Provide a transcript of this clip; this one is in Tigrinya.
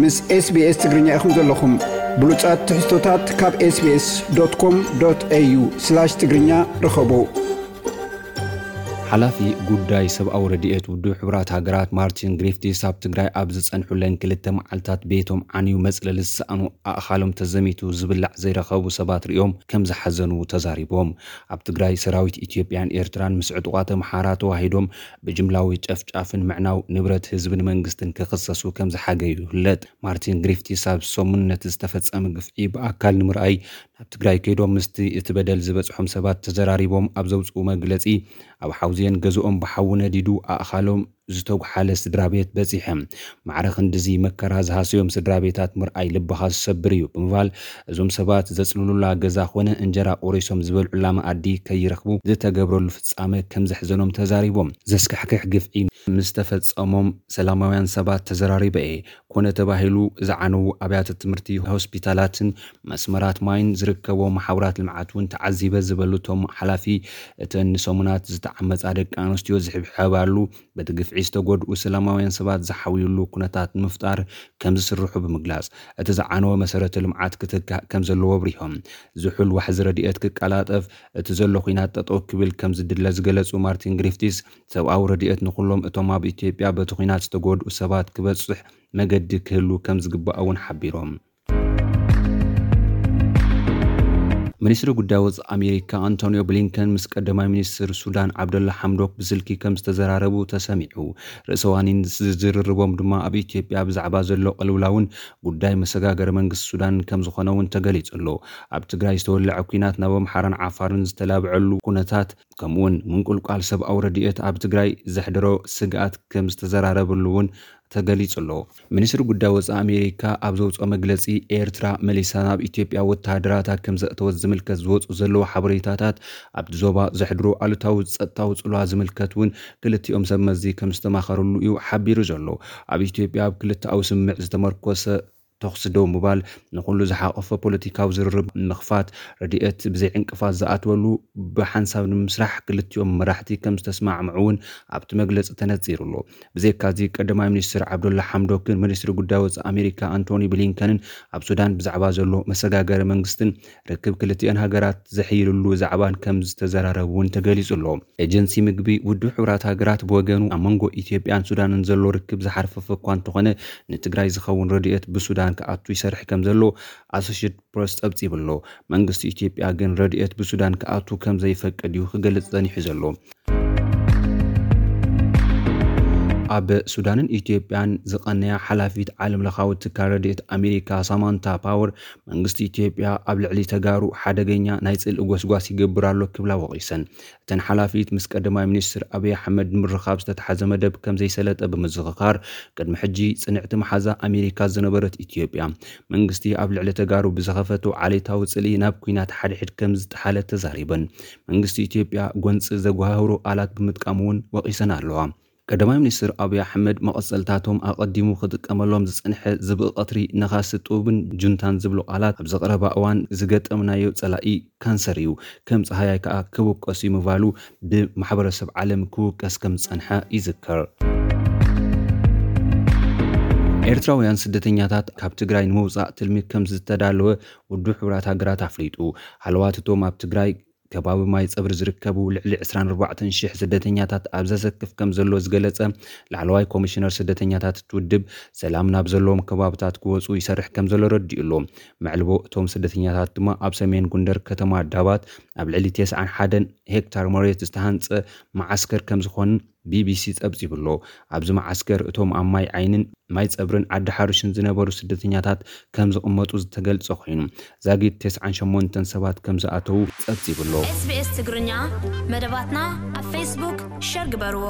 ምስ SBS ትግርኛ ኢኹም ዘለኹም። ብሉጻት ትሕዝቶታት ካብ SBS.com.au/ትግርኛ ርኸቡ። ሓላፊ ጉዳይ ሰብኣዊ ረድኤት ውድብ ሕቡራት ሃገራት ማርቲን ግሪፍቲስ ኣብ ትግራይ ኣብ ዝጸንሑለን ክልተ መዓልታት ቤቶም ዓንዩ መጽለሊ ዝሰኣኑ ኣእኻሎም ተዘሚቱ ዝብላዕ ዘይረኸቡ ሰባት ሪኦም ከም ዝሓዘኑ ተዛሪቦም። ኣብ ትግራይ ሰራዊት ኢትዮጵያን ኤርትራን ምስ ዕጡቓት ኣምሓራ ተዋሂዶም ብጅምላዊ ጨፍጫፍን ምዕናው ንብረት ህዝብን መንግስትን ክኽሰሱ ከም ዝሓገዩ ይፍለጥ። ማርቲን ግሪፍቲስ ኣብ ሰሙን ነቲ ዝተፈጸመ ግፍዒ ብኣካል ንምርኣይ ናብ ትግራይ ከይዶም ምስቲ እቲ በደል ዝበጽሖም ሰባት ተዘራሪቦም ኣብ ዘውፅኡ መግለጺ፣ ኣብ ሓውዜን ገዝኦም ብሓዊ ነዲዱ ኣእኻሎም ዝተጉሓለ ስድራ ቤት በጺሐ። ማዕረ ክንድዚ መከራ ዝሃሰዮም ስድራ ቤታት ምርኣይ ልብኻ ዝሰብር እዩ ብምባል፣ እዞም ሰባት ዘጽልሉላ ገዛ ኮነ እንጀራ ቆሪሶም ዝበልዑላ መኣዲ ከይረኽቡ ዝተገብረሉ ፍጻመ ከም ዘሕዘኖም ተዛሪቦም። ዘስካሕክሕ ግፍዒ ምስ ተፈጸሞም ሰላማውያን ሰባት ተዘራሪበ እየ። ኮነ ተባሂሉ ዝዓነዉ ኣብያተ ትምህርቲ፣ ሆስፒታላትን መስመራት ማይን ዝርከቦ መሓውራት ልምዓት እውን ተዓዚበ ዝበሉ እቶም ሓላፊ፣ እተን ንሰሙናት ዝተዓመጻ ደቂ ኣንስትዮ ዝሕብሐባሉ፣ በቲ ግፍዒ ዝተጎድኡ ሰላማውያን ሰባት ዝሓውዩሉ ኩነታት ንምፍጣር ከም ዝስርሑ ብምግላጽ፣ እቲ ዝዓነወ መሰረተ ልምዓት ክትካእ ከም ዘለዎ ኣብሪሆም። ዝሑል ዋሕዚ ረድኤት ክቀላጠፍ፣ እቲ ዘሎ ኲናት ጠጠው ክብል ከም ዝድለ ዝገለጹ ማርቲን ግሪፍቲስ፣ ሰብኣዊ ረድኤት ንኹሎም እቶም ኣብ ኢትዮጵያ በቲ ኲናት ዝተጎድኡ ሰባት ክበጽሕ መገዲ ክህሉ ከም ዝግባእ እውን ሓቢሮም። ሚኒስትሪ ጉዳይ ወጻኢ ኣሜሪካ ኣንቶኒዮ ብሊንከን ምስ ቀዳማይ ሚኒስትር ሱዳን ዓብደላ ሓምዶክ ብስልኪ ከም ዝተዘራረቡ ተሰሚዑ። ርእሰ ዋኒን ዝርርቦም ድማ ኣብ ኢትዮጵያ ብዛዕባ ዘሎ ቅልውላውን ጉዳይ መሰጋገሪ መንግስቲ ሱዳን ከም ዝኾነ እውን ተገሊጹ ኣሎ። ኣብ ትግራይ ዝተወለዐ ኲናት ናብ ኣምሓራን ዓፋርን ዝተላብዐሉ ኩነታት፣ ከምኡውን ምንቁልቋል ሰብኣዊ ረድኤት ኣብ ትግራይ ዘሕደሮ ስግኣት ከም ዝተዘራረብሉ እውን ተገሊጹ ኣሎ። ሚኒስትሪ ጉዳይ ወጻኢ ኣሜሪካ ኣብ ዘውፅኦ መግለጺ፣ ኤርትራ መሊሳ ናብ ኢትዮጵያ ወተሃደራታ ከም ዘእተወት ዝምልከት ዝወፁ ዘለዉ ሓበሬታታት ኣብቲ ዞባ ዘሕድሮ ኣሉታዊ ጸጥታዊ ጽልዋ ዝምልከት እውን ክልቲኦም ሰብ መዚ ከም ዝተማኸሩሉ እዩ ሓቢሩ ዘሎ። ኣብ ኢትዮጵያ ኣብ ክልተኣዊ ስምምዕ ዝተመርኮሰ ተኹሲ ደው ምባል፣ ንኹሉ ዝሓቆፈ ፖለቲካዊ ዝርርብ ምኽፋት፣ ረድኤት ብዘይ ዕንቅፋት ዝኣትወሉ ብሓንሳብ ንምስራሕ ክልቲኦም መራሕቲ ከም ዝተስማዕምዑ እውን ኣብቲ መግለጺ ተነጺሩ ኣሎ። ብዘይካዚ ቀዳማይ ሚኒስትር ዓብዱላ ሓምዶክን ሚኒስትሪ ጉዳይ ወጻኢ ኣሜሪካ ኣንቶኒ ብሊንከንን ኣብ ሱዳን ብዛዕባ ዘሎ መሰጋገሪ መንግስትን ርክብ ክልቲአን ሃገራት ዘሕይልሉ ዛዕባን ከም ዝተዘራረቡ እውን ተገሊጹ ኣሎ። ኤጀንሲ ምግቢ ውድብ ሕቡራት ሃገራት ብወገኑ ኣብ መንጎ ኢትዮጵያን ሱዳንን ዘሎ ርክብ ዝሓርፈፈ እኳ እንተኾነ ንትግራይ ዝኸውን ረድኤት ብሱዳን ክኣቱ ይሰርሕ ከም ዘሎ ኣሶሽየትድ ፕረስ ጸብጺቡ ኣሎ። መንግስቲ ኢትዮጵያ ግን ረድኤት ብሱዳን ክኣቱ ከም ዘይፈቅድ እዩ ክገልጽ ጸኒሑ ዘሎ። ኣብ ሱዳንን ኢትዮጵያን ዝቐነያ ሓላፊት ዓለም ለኻዊ ትካል ረድኤት ኣሜሪካ ሳማንታ ፓወር መንግስቲ ኢትዮጵያ ኣብ ልዕሊ ተጋሩ ሓደገኛ ናይ ጽልኢ ጎስጓስ ይገብር ኣሎ ክብላ ወቒሰን። እተን ሓላፊት ምስ ቀዳማይ ሚኒስትር ኣብይ ኣሕመድ ንምርኻብ ዝተተሓዘ መደብ ከም ዘይሰለጠ ብምዝኽኻር፣ ቅድሚ ሕጂ ጽንዕቲ መሓዛ ኣሜሪካ ዝነበረት ኢትዮጵያ መንግስቲ ኣብ ልዕሊ ተጋሩ ብዝኸፈቶ ዓሌታዊ ጽልኢ ናብ ኲናት ሓድሕድ ከም ዝጠሓለት ተዛሪበን። መንግስቲ ኢትዮጵያ ጎንጺ ዘጓሃህሩ ቃላት ብምጥቃም እውን ወቒሰን ኣለዋ። ቀዳማይ ሚኒስትር ኣብይ ኣሕመድ መቐጸልታቶም ኣቐዲሙ ክጥቀመሎም ዝጸንሐ ዝብኢ ቀትሪ፣ ነኻሲ ጡብን ጁንታን ዝብሉ ቃላት ኣብዚ ቀረባ እዋን ዝገጠምናዮ ጸላኢ ካንሰር እዩ፣ ከም ጸሃያይ ከኣ ክውቀስ እዩ ምባሉ ብማሕበረሰብ ዓለም ክውቀስ ከም ዝጸንሐ ይዝከር። ኤርትራውያን ስደተኛታት ካብ ትግራይ ንምውጻእ ትልሚ ከም ዝተዳለወ ውድብ ሕቡራት ሃገራት ኣፍሊጡ። ሃለዋት እቶም ኣብ ትግራይ ከባቢ ማይ ጸብሪ ዝርከቡ ልዕሊ ዕስራን ኣርባዕተን ሽሕ ስደተኛታት ኣብ ዘሰክፍ ከም ዘሎ ዝገለጸ ላዕለዋይ ኮሚሽነር ስደተኛታት እቲ ውድብ፣ ሰላም ናብ ዘለዎም ከባብታት ክወጹ ይሰርሕ ከም ዘሎ ረዲኡ ኣሎ። መዕልቦ እቶም ስደተኛታት ድማ ኣብ ሰሜን ጎንደር ከተማ ዳባት ኣብ ልዕሊ ተስዓን ሓደን ሄክታር መሬት ዝተሃንጸ መዓስከር ከም ዝኾንን ቢቢሲ ጸብጺቡ ኣሎ። ኣብዚ መዓስከር እቶም ኣብ ማይ ዓይንን ማይ ጸብርን ዓዲ ሓሩሽን ዝነበሩ ስደተኛታት ከም ዝቕመጡ ዝተገልጸ ኮይኑ፣ ዛጊድ ተስዓን ሸሞንተን ሰባት ከም ዝኣተዉ ጸብጺቡ ኣሎ። SBS ትግርኛ መደባትና ኣብ ፌስቡክ ሸር ግበርዎ።